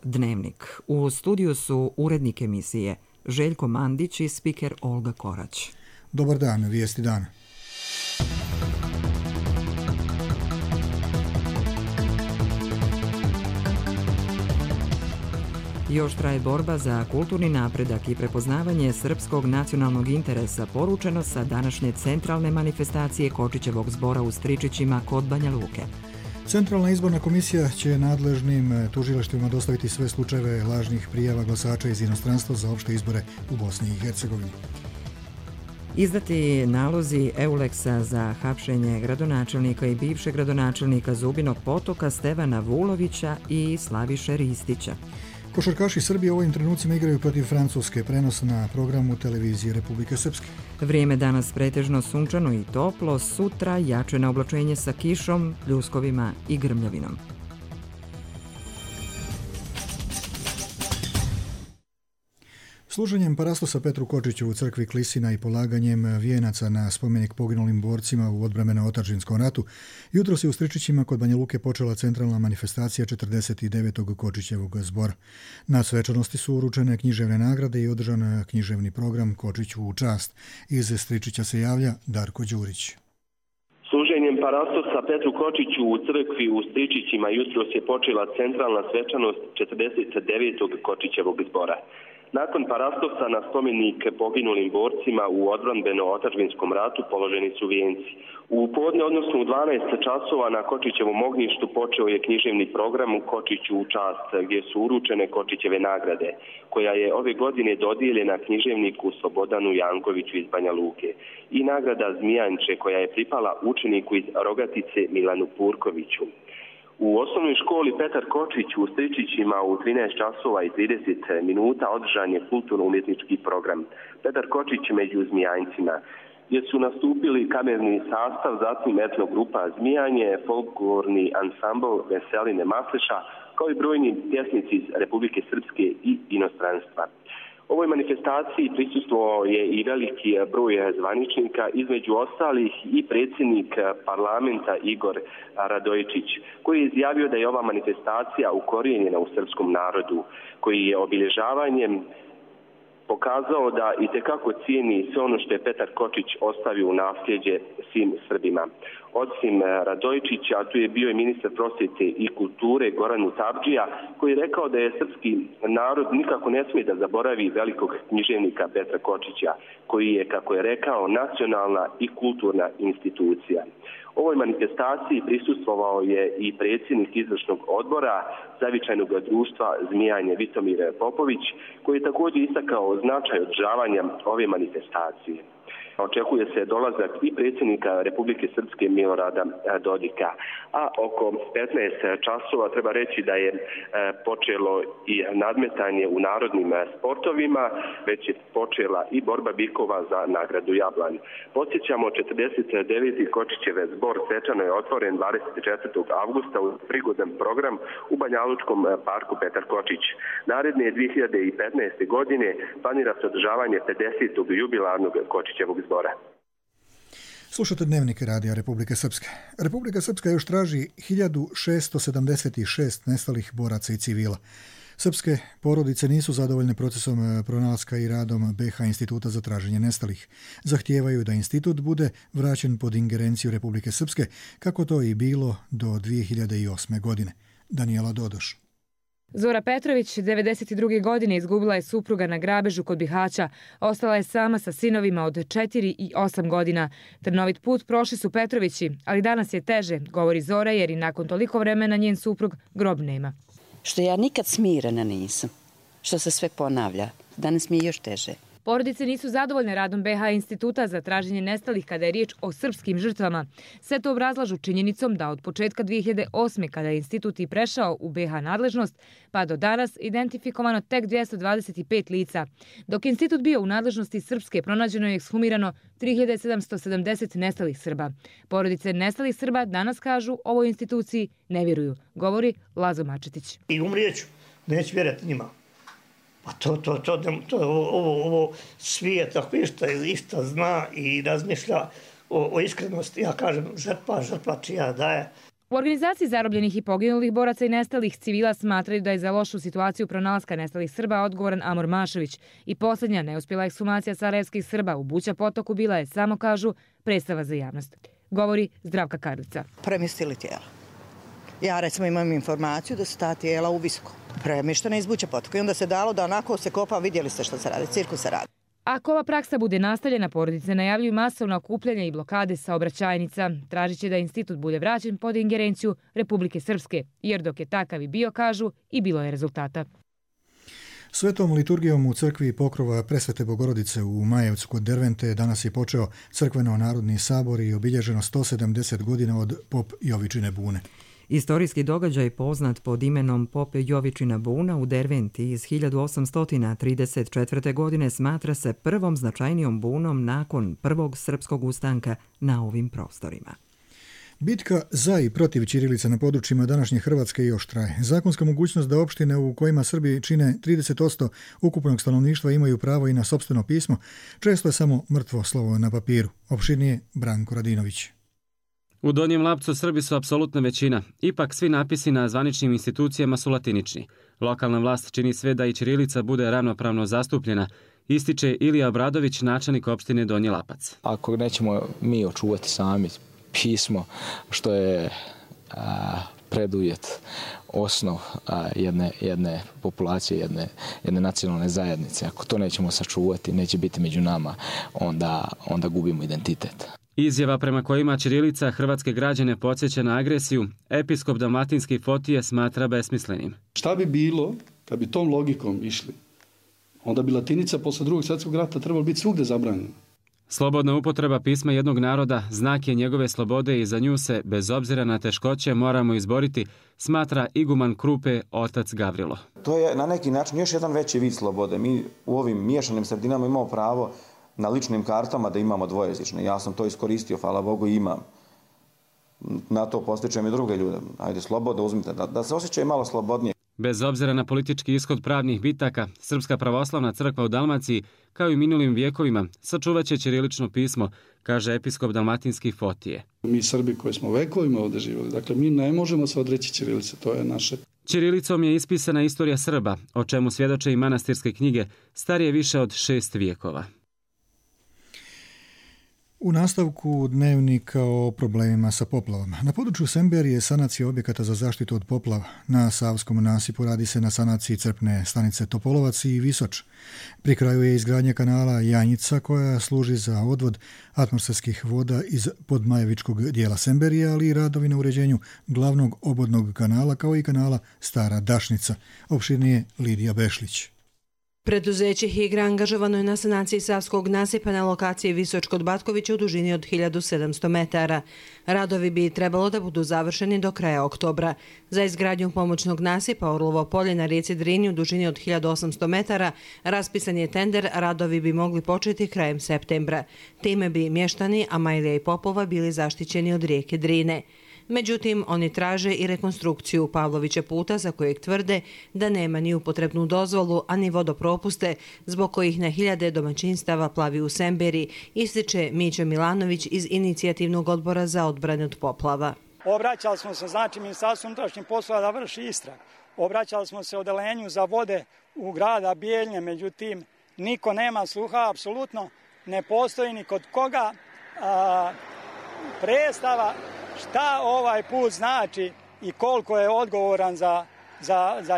Dnevnik. U studiju su urednik emisije Željko Mandić i spiker Olga Korać. Dobar dan, vijesti dana. Još traje borba za kulturni napredak i prepoznavanje srpskog nacionalnog interesa, poručeno sa današnje centralne manifestacije Kočićevog zbora u Stričićima kod Banja Luke. Centralna izborna komisija će nadležnim tužilaštvima dostaviti sve slučajeve lažnih prijava glasača iz inostranstva za opšte izbore u Bosni i Hercegovini. Izdati nalozi Euleksa za hapšenje gradonačelnika i bivšeg gradonačelnika Zubinog Potoka Stevana Vulovića i Slaviše Ristića. Košarkaši Srbije u ovim trenucima igraju protiv Francuske, prenos na programu televizije Republike Srpske. Vrijeme danas pretežno sunčano i toplo, sutra jačeno oblačenje sa kišom, pljuskovima i grmljavinom. Služenjem parastosa Petru Kočiću u crkvi Klisina i polaganjem vijenaca na spomenik poginulim borcima u odbrambeno-otadžbinskom ratu, jutros je u Stričićima kod Banja Luke počela centralna manifestacija 49. Kočićevog zbora. Na svečanosti su uručene književne nagrade i održan književni program Kočiću u čast. Iz Stričića se javlja Darko Đurić. Služenjem parastosa Petru Kočiću u crkvi u Stričićima jutros je počela centralna svečanost 49. Kočićevog zbora. Nakon parastosa na spomenik poginulim borcima u odbrambeno-otadžbinskom ratu položeni su vijenci. U podne, odnosno u 12 časova na Kočićevom ognjištu počeo je književni program Kočiću u čast, gdje su uručene Kočićeve nagrade, koja je ove godine dodijeljena književniku Slobodanu Jankoviću iz Banja Luke, i nagrada Zmijanče, koja je pripala učeniku iz Rogatice Milanu Purkoviću. U osnovnoj školi Petar Kočić u Stričićima u 13 časova i 30 minuta održan je kulturno-umjetnički program Petar Kočić među Zmijanjcima, gdje su nastupili kamerni sastav, zatim etnogrupa Zmijanje, folklorni ansambl Veseline Masleša, kao i brojni pjesnici iz Republike Srpske i inostranstva. Ovoj manifestaciji prisustvovao je i veliki broj zvaničnika, između ostalih i predsjednik parlamenta Igor Radojičić, koji je izjavio da je ova manifestacija ukorijenjena u srpskom narodu, koji je obilježavanjem pokazao da itekako cijeni sve ono što je Petar Kočić ostavio u nasljeđe svim Srbima. Osim Radojičića, tu je bio i ministar prosvjete i kulture Goran Utabdžija, koji je rekao da je srpski narod nikako ne smije da zaboravi velikog književnika Petra Kočića, koji je, kako je rekao, nacionalna i kulturna institucija. Ovoj manifestaciji prisustvovao je i predsjednik izvršnog odbora zavičajnog društva Zmijanje Vitomir Popović, koji je također istakao značaj održavanja ove manifestacije. Očekuje se dolazak i predsjednika Republike Srpske Milorada Dodika. A oko 15 časova treba reći da je počelo i nadmetanje u narodnim sportovima, već je počela i borba bikova za nagradu Jablan. Podsjećamo, 49. Kočićev zbor svečano je otvoren 24. avgusta u prigodan program u Banjalučkom parku Petar Kočić. Naredne 2015. godine planira se održavanje 50. jubilarnog Kočićevog zbora. Slušate Dnevnik radija Republike Srpske. Republika Srpska još traži 1676 nestalih boraca i civila. Srpske porodice nisu zadovoljne procesom pronalaska i radom BH Instituta za traženje nestalih. Zahtijevaju da institut bude vraćen pod ingerenciju Republike Srpske, kako to i bilo do 2008. godine. Danijela Dodoš. Zora Petrović 92. godine izgubila je supruga na grabežu kod Bihaća. Ostala je sama sa sinovima od 4 i 8 godina. Trnovit put prošli su Petrovići, ali danas je teže, govori Zora, jer i nakon toliko vremena njen suprug grob nema. Što ja nikad smirena nisam, što se sve ponavlja. Danas mi je još teže. Porodice nisu zadovoljne radom BH Instituta za traženje nestalih kada je riječ o srpskim žrtvama. Sve to obrazlažu činjenicom da od početka 2008. kada je institut i prešao u BH nadležnost, pa do danas identifikovano tek 225 lica. Dok je institut bio u nadležnosti Srpske, pronađeno je ekshumirano 3770 nestalih Srba. Porodice nestalih Srba danas kažu ovoj instituciji ne vjeruju, govori Lazo Mačetić. I umrijeću, neću vjerati njima. Pa ovo svijet, ako išta zna i razmišlja o iskrenosti, ja kažem žrtva čija daje. U organizaciji zarobljenih i poginulih boraca i nestalih civila smatraju da je za lošu situaciju pronalaska nestalih Srba odgovoran Amor Mašović i posljednja neuspjela ekshumacija sarajevskih Srba u Buća potoku bila je, samo kažu, predstava za javnost. Govori Zdravka Karlica. Premjestili tijela. Ja recimo imam informaciju da su ta tijela u Visoko premještena iz Buća potoka i onda se dalo da onako se kopa, vidjeli ste što se radi, cirkus se radi. Ako ova praksa bude nastavljena, porodice najavljuju masovna okupljanja i blokade saobraćajnica. Tražit će da institut bude vraćen pod ingerenciju Republike Srpske, jer dok je takav i bio, kažu, i bilo je rezultata. Svetom liturgijom u crkvi Pokrova Presvete Bogorodice u Majevcu kod Dervente danas je počeo crkveno-narodni sabor i obilježeno 170 godina od pop Jovičine bune. Istorijski događaj poznat pod imenom Pop Jovičina buna u Derventi iz 1834. godine smatra se prvom značajnijom bunom nakon prvog srpskog ustanka na ovim prostorima. Bitka za i protiv ćirilice na područjima današnje Hrvatske još traje. Zakonska mogućnost da opštine u kojima Srbi čine 30% ukupnog stanovništva imaju pravo i na sopstveno pismo, često je samo mrtvo slovo na papiru. Opširnije Branko Radinović. U Donjem Lapcu Srbi su apsolutna većina, ipak svi napisi na zvaničnim institucijama su latinični. Lokalna vlast čini sve da i ćirilica bude ravnopravno zastupljena, ističe Ilija Obradović, načelnik opštine Donji Lapac. Ako nećemo mi očuvati sami pismo, što je preduvjet, osnov jedne populacije, jedne nacionalne zajednice, ako to nećemo sačuvati, neće biti među nama, onda gubimo identitet. Izjava prema kojima ćirilica hrvatske građane podsjeća na agresiju, episkop dalmatinski Fotije smatra besmislenim. Šta bi bilo kad bi tom logikom išli? Onda bi latinica posle drugog svjetskog rata trebala biti svugde zabranjena. Slobodna upotreba pisma jednog naroda znak je njegove slobode i za nju se, bez obzira na teškoće, moramo izboriti, smatra iguman Krupe otac Gavrilo. To je na neki način još jedan veći vid slobode. Mi u ovim miješanim sredinama imamo pravo na ličnim kartama da imamo dvojezične. Ja sam to iskoristio, hvala Bogu, i imam. Na to postičem i druge ljude. Ajde, slobodno uzmite, da se osjećaju malo slobodnije. Bez obzira na politički ishod pravnih bitaka, Srpska pravoslavna crkva u Dalmaciji, kao i minulim vijekovima, sačuvat će ćirilično pismo, kaže episkop dalmatinski Fotije. Mi Srbi koji smo vekovima ovdje živjeli, dakle mi ne možemo se odreći ćirilice, to je naše. Ćirilicom je ispisana istorija Srba, o čemu svjedoče i manastirske knjige, starije više od 6 vijekova. U nastavku dnevnika o problemima sa poplavama. Na području Semberije je sanacija objekata za zaštitu od poplava. Na Savskom nasipu radi se na sanaciji crpne stanice Topolovac i Visoč. Pri kraju je izgradnja kanala Janjica koja služi za odvod atmosferskih voda iz podmajevičkog dijela Semberije, ali i radovi na uređenju glavnog obodnog kanala kao i kanala Stara Dašnica. Opširnije Lidija Bešlić. Preduzeće Higra angažovano je na sanaciji Savskog nasipa na lokaciji Visoč kod Batkovića u dužini od 1700 metara. Radovi bi trebalo da budu završeni do kraja oktobra. Za izgradnju pomoćnog nasipa Orlovo polje na rijeci Drini u dužini od 1800 metara raspisan je tender, radovi bi mogli početi krajem septembra. Time bi mještani Amajlija i Popova bili zaštićeni od rijeke Drine. Međutim, oni traže i rekonstrukciju Pavlovića puta za kojeg tvrde da nema ni upotrebnu dozvolu, a ni vodopropuste, zbog kojih na hiljade domaćinstava plavi u Semberi, ističe Mića Milanović iz Inicijativnog odbora za odbranu od poplava. Obraćali smo se, Ministarstvu unutrašnjih poslova da vrši istrag. Obraćali smo se odeljenju za vode u grada Bijeljne, međutim, niko nema sluha, apsolutno ne postoji ni kod koga predstava šta ovaj put znači i koliko je odgovoran za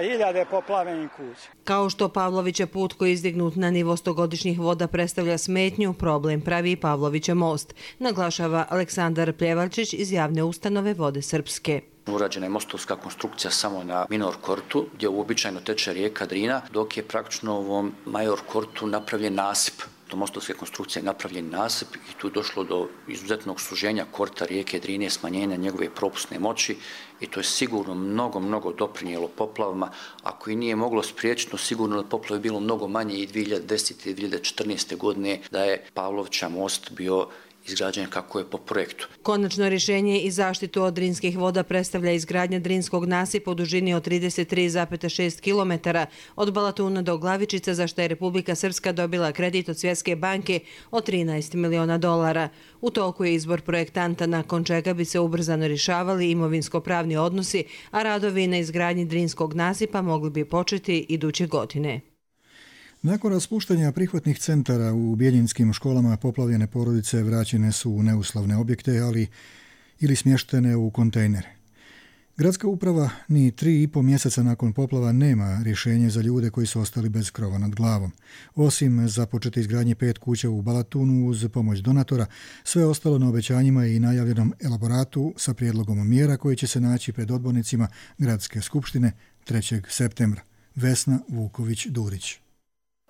hiljade poplavljenih kuća. Kao što Pavlovića put koji je izdignut na nivo 100-godišnjih voda predstavlja smetnju, problem pravi i Pavlovića most, naglašava Aleksandar Pljevačić iz javne ustanove Vode Srpske. Urađena je mostovska konstrukcija samo na Minor Kortu, gdje uobičajeno teče rijeka Drina, dok je praktično u ovom Major Kortu napravljen nasip. Do mostovske konstrukcije je napravljen nasip i tu je došlo do izuzetnog suženja korta rijeke Drine, smanjenja njegove propusne moći i to je sigurno mnogo doprinijelo poplavama. Ako i nije moglo spriječiti, sigurno da poplave bilo mnogo manje i 2010. i 2014. godine da je Pavlovića most bio izgrađen kako je po projektu. Konačno rješenje i zaštitu od drinskih voda predstavlja izgradnja drinskog nasipa u dužini od 33,6 km od Balatuna do Glavičica, za što je Republika Srpska dobila kredit od Svjetske banke od $13 miliona. U toku je izbor projektanta, nakon čega bi se ubrzano rješavali imovinsko-pravni odnosi, a radovi na izgradnji drinskog nasipa mogli bi početi iduće godine. Nakon raspuštanja prihvatnih centara u bijeljinskim školama, poplavljene porodice vraćene su u neuslovne objekte, ili smještene u kontejnere. Gradska uprava ni 3,5 mjeseca nakon poplava nema rješenje za ljude koji su ostali bez krova nad glavom. Osim započete izgradnje 5 kuća u Balatunu uz pomoć donatora, sve ostalo na obećanjima i najavljenom elaboratu sa prijedlogom mjera koji će se naći pred odbornicima Gradske skupštine 3. septembra. Vesna Vuković-Durić.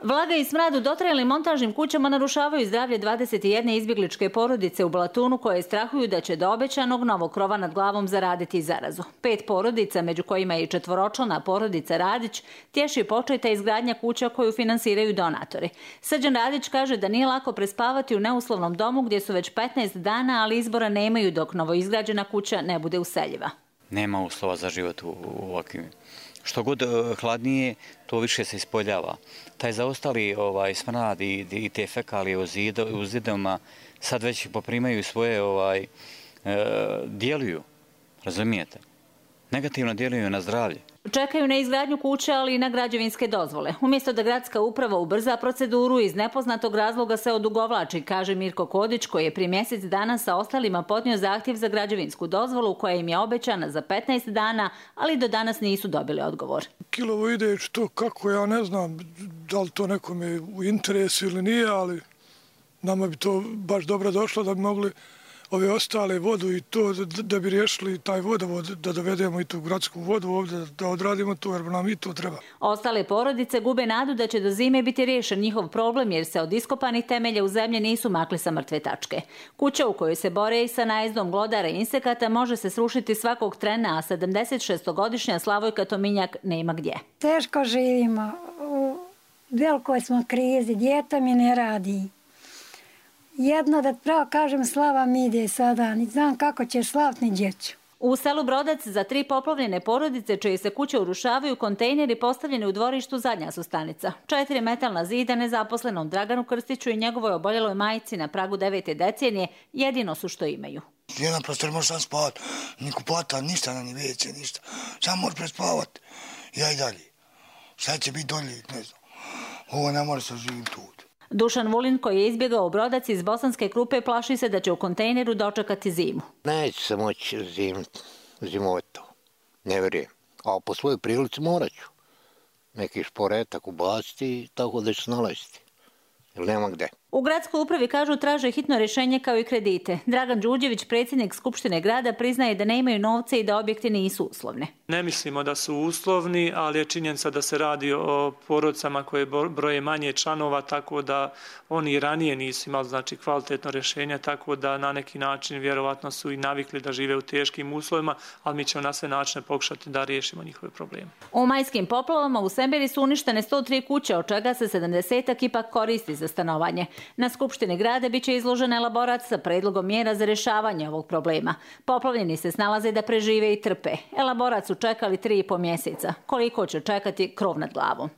Vlaga i smrad u dotrajalim montažnim kućama narušavaju zdravlje 21 izbjegličke porodice u Balatunu koje strahuju da će do obećanog novog krova nad glavom zaraditi zarazu. 5 porodica, među kojima je i 4-člana porodica Radić, tješi početa izgradnja kuća koju finansiraju donatori. Srđan Radić kaže da nije lako prespavati u neuslovnom domu gdje su već 15 dana, ali izbora nemaju dok novoizgrađena kuća ne bude useljiva. Nema uslova za život u ovakvim. Što god hladnije, to više se ispoljava. Taj zaostali smrad i te fekalije u zidovima sad već poprimaju svoje, djeluju, razumijete? Negativno djeluju na zdravlje. Čekaju na izgradnju kuće, ali i na građevinske dozvole. Umjesto da gradska uprava ubrza proceduru, iz nepoznatog razloga se odugovlači, kaže Mirko Kodić, koji je prije mjesec dana sa ostalima podnio zahtjev za građevinsku dozvolu koja im je obećana za 15 dana, ali do danas nisu dobili odgovor. Kilovo ide to kako, ja ne znam da li to nekome u interesu ili nije, ali nama bi to baš dobro došlo da bi mogli ove ostale vodu i to da bi riješili taj vodovod, da dovedemo i tu gradsku vodu ovdje, da odradimo to jer nam i to treba. Ostale porodice gube nadu da će do zime biti riješen njihov problem jer se od iskopanih temelja u zemlji nisu makli sa mrtve tačke. Kuća u kojoj se bore i sa najezdom glodara i insekata može se srušiti svakog trena, a 76-godišnja Slavojka Tominjak nema gdje. Teško živimo, u velikoj smo krizi, dijete mi ne radi. Jedno da pravo kažem slava mi ide sada, ni znam kako će slavt ni djeću. U selu Brodac za 3 poplavljene porodice čije se kuće urušavaju, kontejneri postavljeni u dvorištu zadnja su stanica. 4 metalna zida nezaposlenom Draganu Krstiću i njegovoj oboljeloj majci na pragu 9. decenije jedino su što imaju. Jedan prostor može sam spavati, ni kupata, ništa na ni veće, ništa. Samo može prespavati. Ja i dalje. Šta će biti dolje, ne znam. Ovo ne može se živjeti tu. Dušan Vulin, koji je izbjegao u Brodac iz Bosanske Krupe, plaši se da će u kontejneru dočekati zimu. Neće se moći zimovati to, ne vjerujem. A po svojoj prilici morat ću neki šporetak ubaciti tako da ću se nalaziti. Jer nema gde. U gradskoj upravi kažu traže hitno rješenje kao i kredite. Dragan Đuđević, predsjednik Skupštine grada, priznaje da nemaju novce i da objekti nisu uslovni. Ne mislimo da su uslovni, ali je činjenica da se radi o porodicama koje broje manje članova, tako da oni ranije nisu imali kvalitetno rješenje, tako da na neki način vjerovatno su i navikli da žive u teškim uslovima, ali mi ćemo na sve načine pokušati da riješimo njihove probleme. U majskim poplavama u Semberi su uništene 103 kuće, od čega se 70 ipak koristi za stanovanje. Na Skupštini grada biće izložen elaborat sa predlogom mjera za rješavanje ovog problema. Poplavljeni se snalaze da prežive i trpe. Elaborat su čekali 3,5 mjeseca. Koliko će čekati krov nad glavom?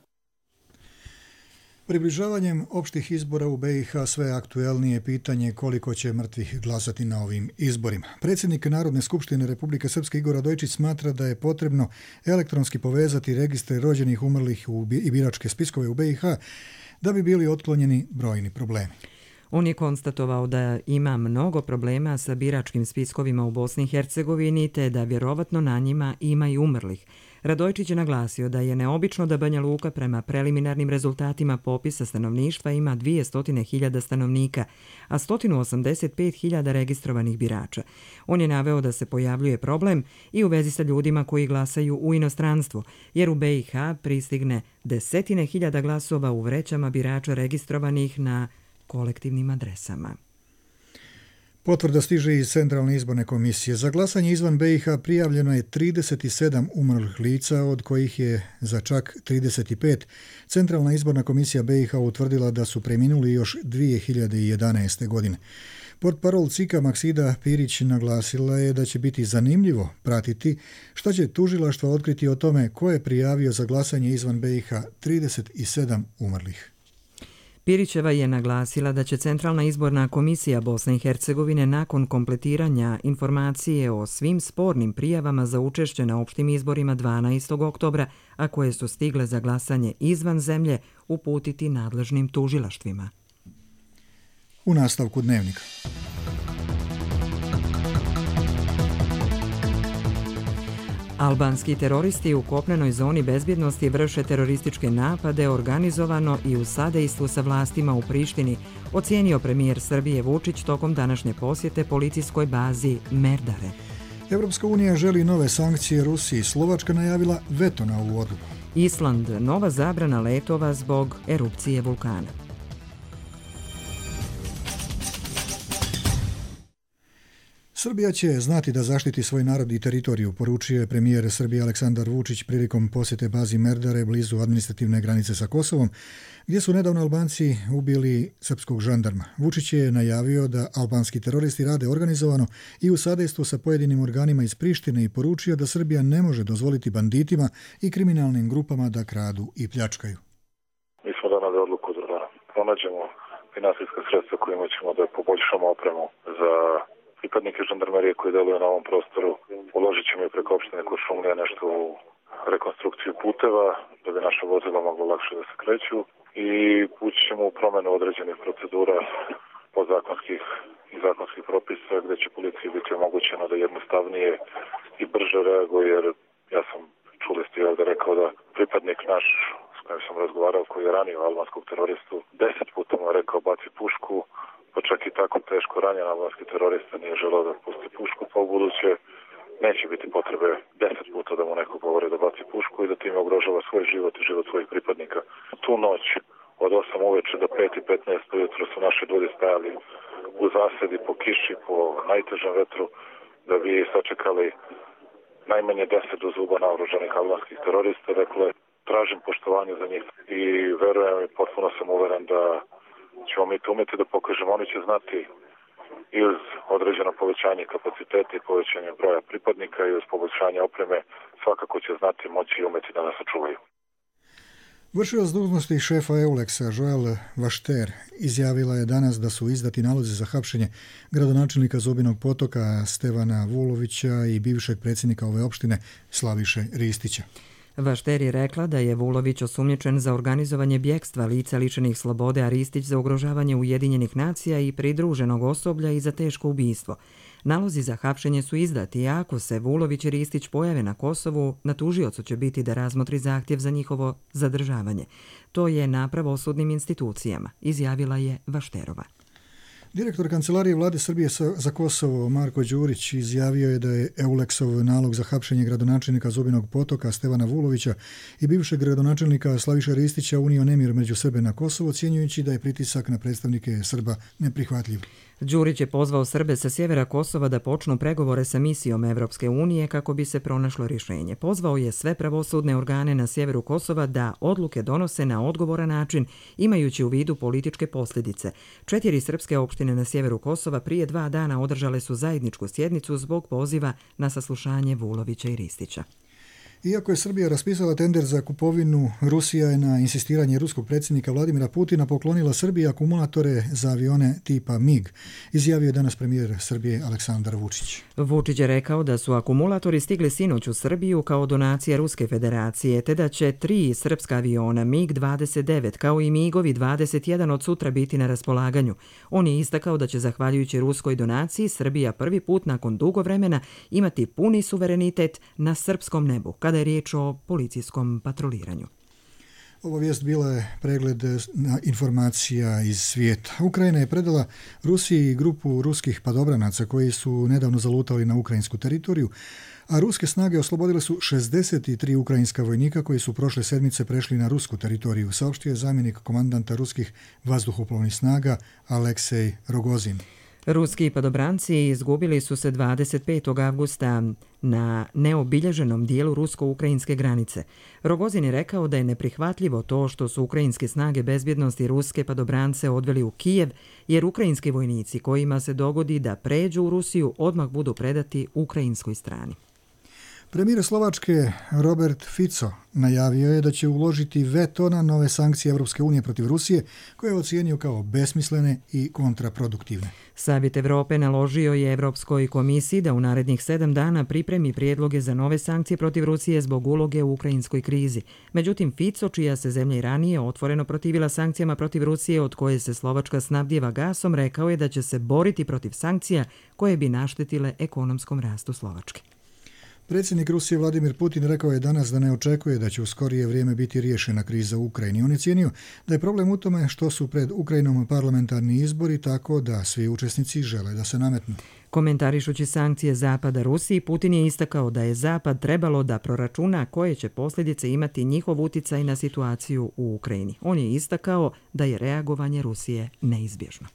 Približavanjem opštih izbora u BiH sve aktuelnije pitanje koliko će mrtvih glasati na ovim izborima. Predsjednik Narodne skupštine Republike Srpske Igor Radojčić smatra da je potrebno elektronski povezati registre rođenih, umrlih i biračke spiskove u BiH da bi bili otklonjeni brojni problemi. On je konstatovao da ima mnogo problema sa biračkim spiskovima u Bosni i Hercegovini te da vjerovatno na njima ima i umrlih. Radojčić je naglasio da je neobično da Banja Luka prema preliminarnim rezultatima popisa stanovništva ima 200.000 stanovnika, a 185.000 registrovanih birača. On je naveo da se pojavljuje problem i u vezi sa ljudima koji glasaju u inostranstvu, jer u BiH pristigne 10.000 glasova u vrećama birača registrovanih na kolektivnim adresama. Potvrda stiže iz Centralne izborne komisije. Za glasanje izvan BiH prijavljeno je 37 umrlih lica, od kojih je za čak 35 Centralna izborna komisija BiH utvrdila da su preminuli još 2011. godine. Portparol CIK-a Maksida Pirić naglasila je da će biti zanimljivo pratiti šta će tužilaštvo otkriti o tome ko je prijavio za glasanje izvan BiH 37 umrlih. Pirićeva je naglasila da će Centralna izborna komisija Bosne i Hercegovine nakon kompletiranja informacije o svim spornim prijavama za učešće na opštim izborima 12. oktobra, a koje su stigle za glasanje izvan zemlje, uputiti nadležnim tužilaštvima. U nastavku dnevnika. Albanski teroristi u kopnenoj zoni bezbjednosti vrše terorističke napade organizovano i u sadejstvu sa vlastima u Prištini, ocijenio premijer Srbije Vučić tokom današnje posjete policijskoj bazi Merdare. Evropska unija želi nove sankcije Rusiji. Slovačka najavila veto na ovu odluku. Island, nova zabrana letova zbog erupcije vulkana. Srbija će znati da zaštiti svoj narod i teritoriju, poručio je premijer Srbije Aleksandar Vučić prilikom posjete bazi Merdare blizu administrativne granice sa Kosovom, gdje su nedavno Albanci ubili srpskog žandarma. Vučić je najavio da albanski teroristi rade organizovano i u sadejstvu sa pojedinim organima iz Prištine i poručio da Srbija ne može dozvoliti banditima i kriminalnim grupama da kradu i pljačkaju. Mi smo donali odluku da pronađemo finansijska sredstva kojima ćemo da poboljšamo opremu za pripadnike žandarmerije koji deluju na ovom prostoru. Uložit ćemo i preko opštine Kuršumlija nešto u rekonstrukciju puteva, da bi naša vozila mogla lakše da se kreću i ući ćemo u promenu određenih procedura podzakonskih i zakonskih propisa gdje će policiji biti omogućeno da jednostavnije i brže reaguje, jer ja sam, čuli ste ovdje, rekao da pripadnik naš s kojim sam razgovarao, koji je ranio albanskog teroristu, 10 puta mu je rekao baci pušku, pa čak i tako teško ranjen albanski terorista nije želeo da pusti pušku, pa u buduće neće biti potrebe 10 puta da mu neko govori da baci pušku i da time ugrožava svoj život i život svojih pripadnika. Tu noć od 8 uveče do 5:15 ujutro su naši ljudi stajali u zasedi po kiši, po najtežem vetru, da bi sačekali najmanje 10 do zuba naoružanih albanskih terorista. Dakle, tražim poštovanje za njih i verujem i potpuno sam uveren da ćemo mi to umjeti da pokažemo. Oni će znati i uz određeno povećanje kapaciteta i povećanje broja pripadnika i uz poboljšanje opreme svakako će znati, moći i umjeti da nas sačuvaju. Vršilac dužnosti šefa EULEX-a Joel Vašter izjavila je danas da su izdati nalozi za hapšenje gradonačelnika Zubinog Potoka Stevana Vulovića i bivšeg predsjednika ove opštine Slaviše Ristića. Vašter je rekla da je Vulović osumnjičen za organizovanje bjekstva lica lišenih slobode, a Ristić za ugrožavanje Ujedinjenih nacija i pridruženog osoblja i za teško ubistvo. Nalozi za hapšenje su izdati, a ako se Vulović i Ristić pojave na Kosovu, na tužiocu će biti da razmotri zahtjev za njihovo zadržavanje. To je na pravosudnim institucijama, izjavila je Vašterova. Direktor Kancelarije Vlade Srbije za Kosovo Marko Đurić izjavio je da je EULEX-ov nalog za hapšenje gradonačelnika Zubinog Potoka Stevana Vulovića i bivšeg gradonačelnika Slaviša Ristića unio nemir među Srbe na Kosovo, ocjenjujući da je pritisak na predstavnike Srba neprihvatljiv. Đurić je pozvao Srbe sa sjevera Kosova da počnu pregovore sa misijom Evropske unije kako bi se pronašlo rješenje. Pozvao je sve pravosudne organe na sjeveru Kosova da odluke donose na odgovoran način, imajući u vidu političke posljedice. 4 srpske opštine na sjeveru Kosova prije 2 dana održale su zajedničku sjednicu zbog poziva na saslušanje Vulovića i Ristića. Iako je Srbija raspisala tender za kupovinu, Rusija je na insistiranje ruskog predsjednika Vladimira Putina poklonila Srbiji akumulatore za avione tipa MiG, izjavio je danas premijer Srbije Aleksandar Vučić. Vučić je rekao da su akumulatori stigli sinoć u Srbiju kao donacija Ruske federacije, te da će 3 srpska aviona MiG-29 kao i MiG-ovi 21 od sutra biti na raspolaganju. On je istakao da će zahvaljujući ruskoj donaciji Srbija prvi put nakon dugo vremena imati puni suverenitet na srpskom nebu, kada je riječ o policijskom patroliranju. Ova vijest bila je pregled informacija iz svijeta. Ukrajina je predala Rusiji grupu ruskih padobranaca koji su nedavno zalutali na ukrajinsku teritoriju, a ruske snage oslobodile su 63 ukrajinska vojnika koji su prošle sedmice prešli na rusku teritoriju, saopštio je zamjenik komandanta ruskih vazduhoplovnih snaga Aleksej Rogozin. Ruski padobranci izgubili su se 25. avgusta na neobilježenom dijelu rusko-ukrajinske granice. Rogozin je rekao da je neprihvatljivo to što su ukrajinske snage bezbjednosti ruske padobrance odveli u Kijev, jer ukrajinski vojnici kojima se dogodi da pređu u Rusiju odmah budu predati ukrajinskoj strani. Premijer Slovačke Robert Fico najavio je da će uložiti veto na nove sankcije Europske unije protiv Rusije, koje je ocijenio kao besmislene i kontraproduktivne. Savjet Evrope naložio je Evropskoj komisiji da u narednih 7 dana pripremi prijedloge za nove sankcije protiv Rusije zbog uloge u ukrajinskoj krizi. Međutim, Fico, čija se zemlja i ranije otvoreno protivila sankcijama protiv Rusije od koje se Slovačka snabdijeva gasom, rekao je da će se boriti protiv sankcija koje bi naštetile ekonomskom rastu Slovačke. Predsjednik Rusije Vladimir Putin rekao je danas da ne očekuje da će u skorije vrijeme biti riješena kriza u Ukrajini. On je cijenio da je problem u tome što su pred Ukrajinom parlamentarni izbori, tako da svi učesnici žele da se nametnu. Komentarišući sankcije Zapada Rusiji, Putin je istakao da je Zapad trebalo da proračuna koje će posljedice imati njihov uticaj na situaciju u Ukrajini. On je istakao da je reagovanje Rusije neizbježno.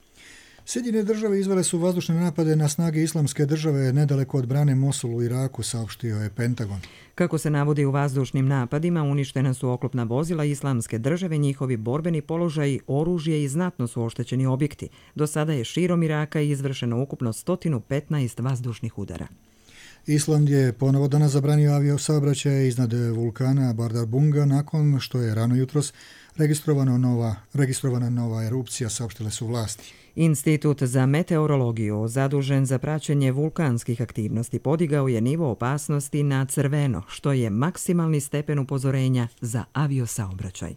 Sjedinjene države izvele su vazdušne napade na snage Islamske države nedaleko od brane Mosul u Iraku, saopštio je Pentagon. Kako se navodi u vazdušnim napadima, uništena su oklopna vozila Islamske države, njihovi borbeni položaji, oružje i znatno su oštećeni objekti. Do sada je širom Iraka izvršeno ukupno 115 vazdušnih udara. Island je ponovo danas zabranio aviosaobraćaj iznad vulkana Bardarbunga nakon što je rano jutros registrovana nova erupcija, saopštile su vlasti. Institut za meteorologiju, zadužen za praćenje vulkanskih aktivnosti, podigao je nivo opasnosti na crveno, što je maksimalni stepen upozorenja za aviosaobraćaj.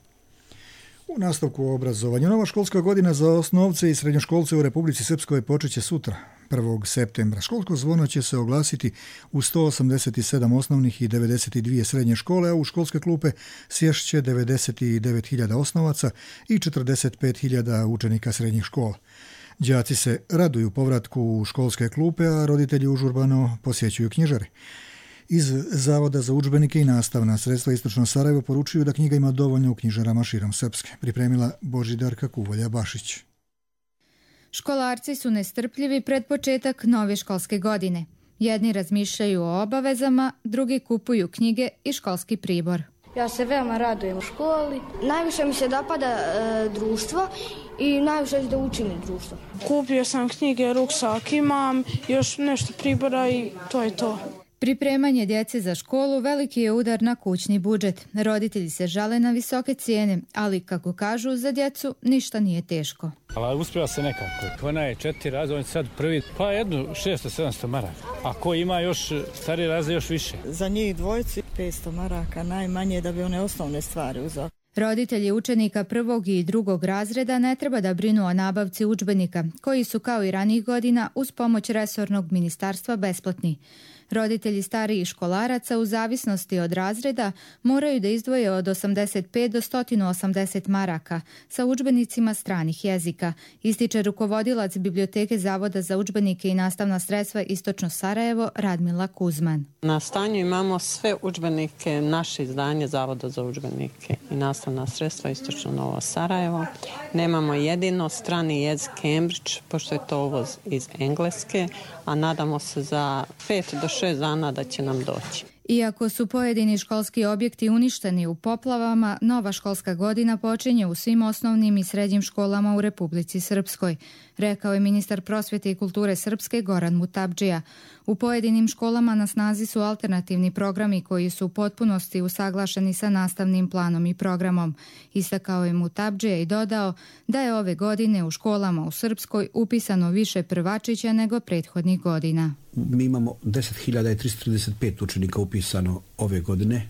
U nastavku obrazovanja, nova školska godina za osnovce i srednjoškolce u Republici Srpskoj počeće sutra, 1. septembra. Školsko zvono će se oglasiti u 187 osnovnih i 92 srednje škole, a u školske klupe sješće 99.000 osnovaca i 45.000 učenika srednjih škola. Đaci se raduju povratku u školske klupe, a roditelji užurbano posjećuju knjižare. Iz Zavoda za udžbenike i nastavna sredstva Istočno Sarajevo poručuju da knjiga ima dovoljno u knjižarama širom Srpske. Pripremila Božidarka Kuvolja-Bašić. Školarci su nestrpljivi pred početak nove školske godine. Jedni razmišljaju o obavezama, drugi kupuju knjige i školski pribor. Ja se veoma radujem u školi. Najviše mi se dopada društvo i najviše da učim društvo. Kupio sam knjige, ruksak imam, još nešto pribora i to je to. Pripremanje djece za školu veliki je udar na kućni budžet. Roditelji se žale na visoke cijene, ali kako kažu, za djecu ništa nije teško. Ali uspjeva se nekako. Ona je 4 razreda, on je sad prvi, pa jednu 600-700 maraka. A ko ima još stariji razred još više? Za njih dvojci 500 maraka najmanje da bi one osnovne stvari uzeli. Roditelji učenika 1. i 2. razreda ne treba da brinu o nabavci udžbenika, koji su kao i ranijih godina uz pomoć resornog ministarstva besplatni. Roditelji starijih školaraca u zavisnosti od razreda moraju da izdvoje od 85 do 180 maraka sa udžbenicima stranih jezika, ističe rukovodilac Biblioteke Zavoda za udžbenike i nastavna sredstva Istočno Sarajevo Radmila Kuzman. Na stanju imamo sve udžbenike, naše izdanje Zavoda za udžbenike i nastavna sredstva Istočno Novo Sarajevo. Nemamo jedino strani jezik Cambridge, pošto je to uvoz iz Engleske, a nadamo se za 5 do 6 dana da će nam doći. Iako su pojedini školski objekti uništeni u poplavama, nova školska godina počinje u svim osnovnim i srednjim školama u Republici Srpskoj, rekao je ministar prosvjete i kulture Srpske Goran Mutabdžija. U pojedinim školama na snazi su alternativni programi koji su u potpunosti usaglašeni sa nastavnim planom i programom. Istakao je Mutabdžija i dodao da je ove godine u školama u Srpskoj upisano više prvačića nego prethodnih godina. Mi imamo 10.335 učenika upisano ove godine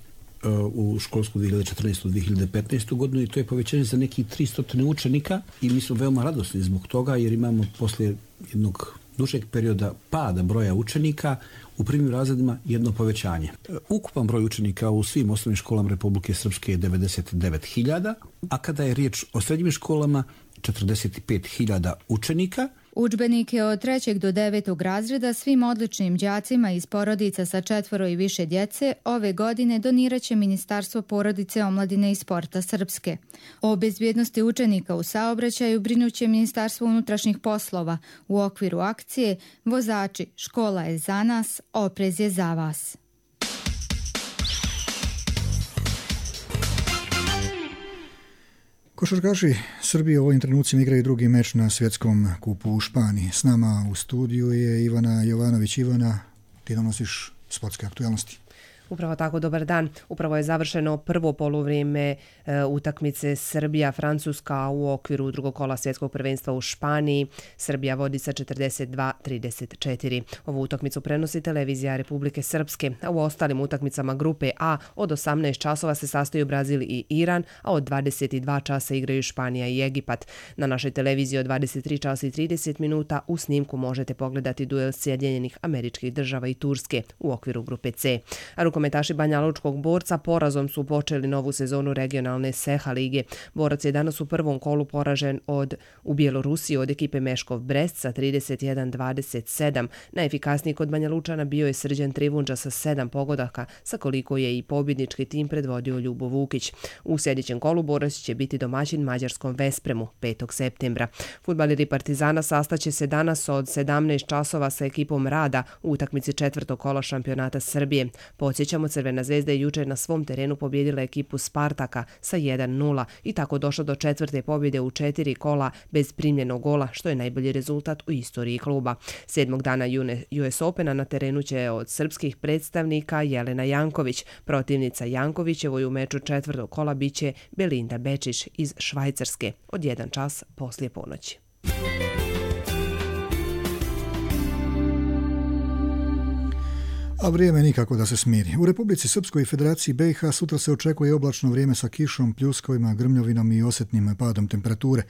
u školsku 2014-2015 godinu i to je povećanje za nekih 300 učenika i mi smo veoma radosni zbog toga jer imamo poslije jednog dužeg perioda pada broja učenika u prvim razredima jedno povećanje. Ukupan broj učenika u svim osnovnim školama Republike Srpske je 99.000, a kada je riječ o srednjim školama 45.000 učenika. Udžbenike od 3. do 9. razreda svim odličnim đacima iz porodica sa 4 i više djece ove godine donirat će Ministarstvo porodice, omladine i sporta Srpske. O bezbjednosti učenika u saobraćaju brinuće Ministarstvo unutrašnjih poslova u okviru akcije Vozači, škola je za nas, oprez je za vas. Košarkaši Srbije u ovim trenucima igraju drugi meč na svjetskom kupu u Španiji. S nama u studiju je Ivana Jovanović. Ivana, ti donosiš sportske aktualnosti. Upravo tako, dobar dan. Upravo je završeno prvo poluvrijeme utakmice Srbija-Francuska u okviru drugog kola svjetskog prvenstva u Španiji. Srbija vodi sa 42-34. Ovu utakmicu prenosi televizija Republike Srpske, a u ostalim utakmicama grupe A od 18 časova se sastaju Brazil i Iran, a od 22 časa igraju Španija i Egipat. Na našoj televiziji od 23 časa i 30 minuta u snimku možete pogledati duel Sjedinjenih Američkih Država i Turske u okviru grupe C. Rukometaši banjalučkog Borca porazom su počeli novu sezonu regionalne Seha lige. Borac je danas u prvom kolu poražen u Bjelorusiji od ekipe Meškov Brest sa 31-27. Najefikasniji kod Banjalučana bio je Srđan Trivundža sa 7 pogodaka, sa koliko je i pobjednički tim predvodio Ljubo Vukić. U sljedećem kolu Borac će biti domaćin mađarskom Vespremu 5. septembra. Fudbaleri Partizana sastaće se danas od 17 časova sa ekipom Rada u utakmici 4. kola šampionata Srbije. Podsjećamo, Crvena zvezda je jučer na svom terenu pobjedila ekipu Spartaka sa 1-0 i tako došla do 4. pobjede u 4 kola bez primljenog gola, što je najbolji rezultat u istoriji kluba. 7. dana US Opena na terenu će od srpskih predstavnika Jelena Janković. Protivnica Jankovićevoj u meču 4. kola biće Belinda Bečić iz Švajcarske od 1 čas poslije ponoći. A vrijeme nikako da se smiri. U Republici Srpskoj i Federaciji BiH sutra se očekuje oblačno vrijeme sa kišom, pljuskovima, grmljovinom i osjetnim padom temperature.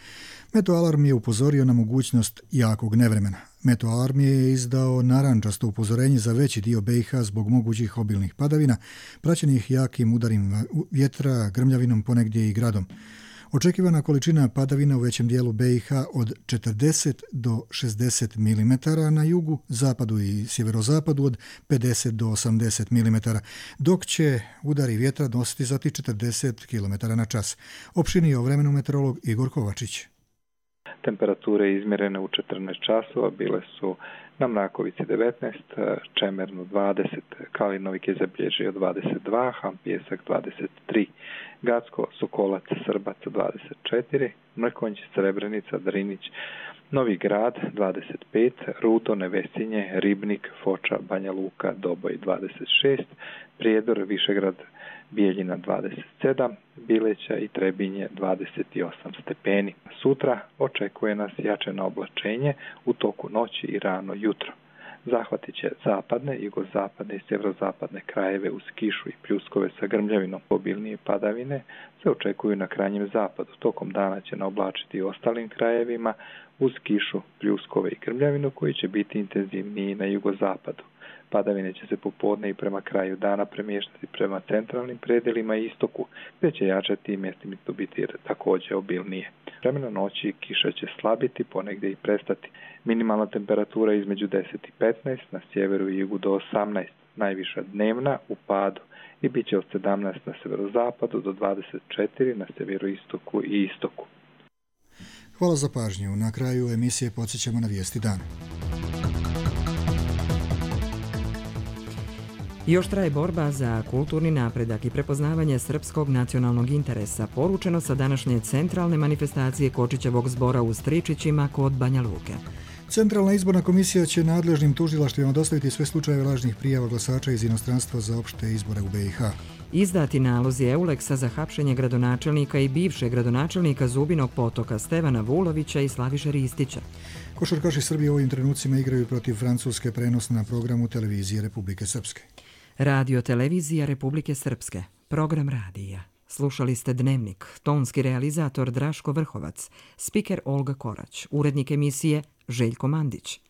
Meteoalarm je upozorio na mogućnost jakog nevremena. Meteoalarm je izdao narandžasto upozorenje za veći dio BiH zbog mogućih obilnih padavina, praćenih jakim udarima vjetra, grmljavinom, ponegdje i gradom. Očekivana količina padavina u većem dijelu BiH od 40 do 60 mm, na jugu, zapadu i sjeverozapadu od 50 do 80 mm, dok će udari vjetra nositi za 40 km na čas. Opšinio vremenu meteorolog Igor Kovačić. Temperature izmjerene u 14 časova bile su na Mrakovici 19, Čemernu 20, Kalinovik je zabilježio 22, Hampijesak 23, Gacko, Sokolac, Srbac 24, Mrkonjić, Srebrenica, Drinić, Novi Grad 25, Rudo, Nevesinje, Ribnik, Foča, Banja Luka, Doboj 26, Prijedor, Višegrad, Bijeljina 27, Bileća i Trebinje 28 stepeni. Sutra očekuje nas jačeno oblačenje u toku noći i rano jutro. Zahvatit će zapadne, jugozapadne i sjeverozapadne krajeve uz kišu i pljuskove sa grmljavinom. Obilnije padavine se očekuju na krajnjem zapadu. Tokom dana će naoblačiti i ostalim krajevima uz kišu, pljuskove i grmljavinu koji će biti intenzivniji na jugozapadu. Padavine će se popodne i prema kraju dana premještati prema centralnim predjelima i istoku, gdje će jačati i mjestimito biti također obilnije. Vremena noći kiša će slabiti, ponegdje i prestati. Minimalna temperatura između 10 i 15, na sjeveru i jugu do 18, najviša dnevna u padu i bit će od 17 na severozapadu do 24 na sjeveroistoku i istoku. Hvala za pažnju. Na kraju emisije podsjećamo na vijesti dana. Još traje borba za kulturni napredak i prepoznavanje srpskog nacionalnog interesa, poručeno sa današnje centralne manifestacije Kočićevog zbora u Stričićima kod Banja Luke. Centralna izborna komisija će nadležnim tužilaštvima dostaviti sve slučajeve lažnih prijava glasača iz inostranstva za opšte izbore u BiH. Izdati nalozi Euleksa za hapšenje gradonačelnika i bivšeg gradonačelnika Zubinog Potoka Stevana Vulovića i Slaviše Ristića. Košarkaši Srbije u ovim trenucima igraju protiv Francuske, prenos na programu televizije Republike Srpske. Radio televizija Republike Srpske. Program radija. Slušali ste Dnevnik. Tonski realizator Draško Vrhovac. Spiker Olga Korać. Urednik emisije Željko Mandić.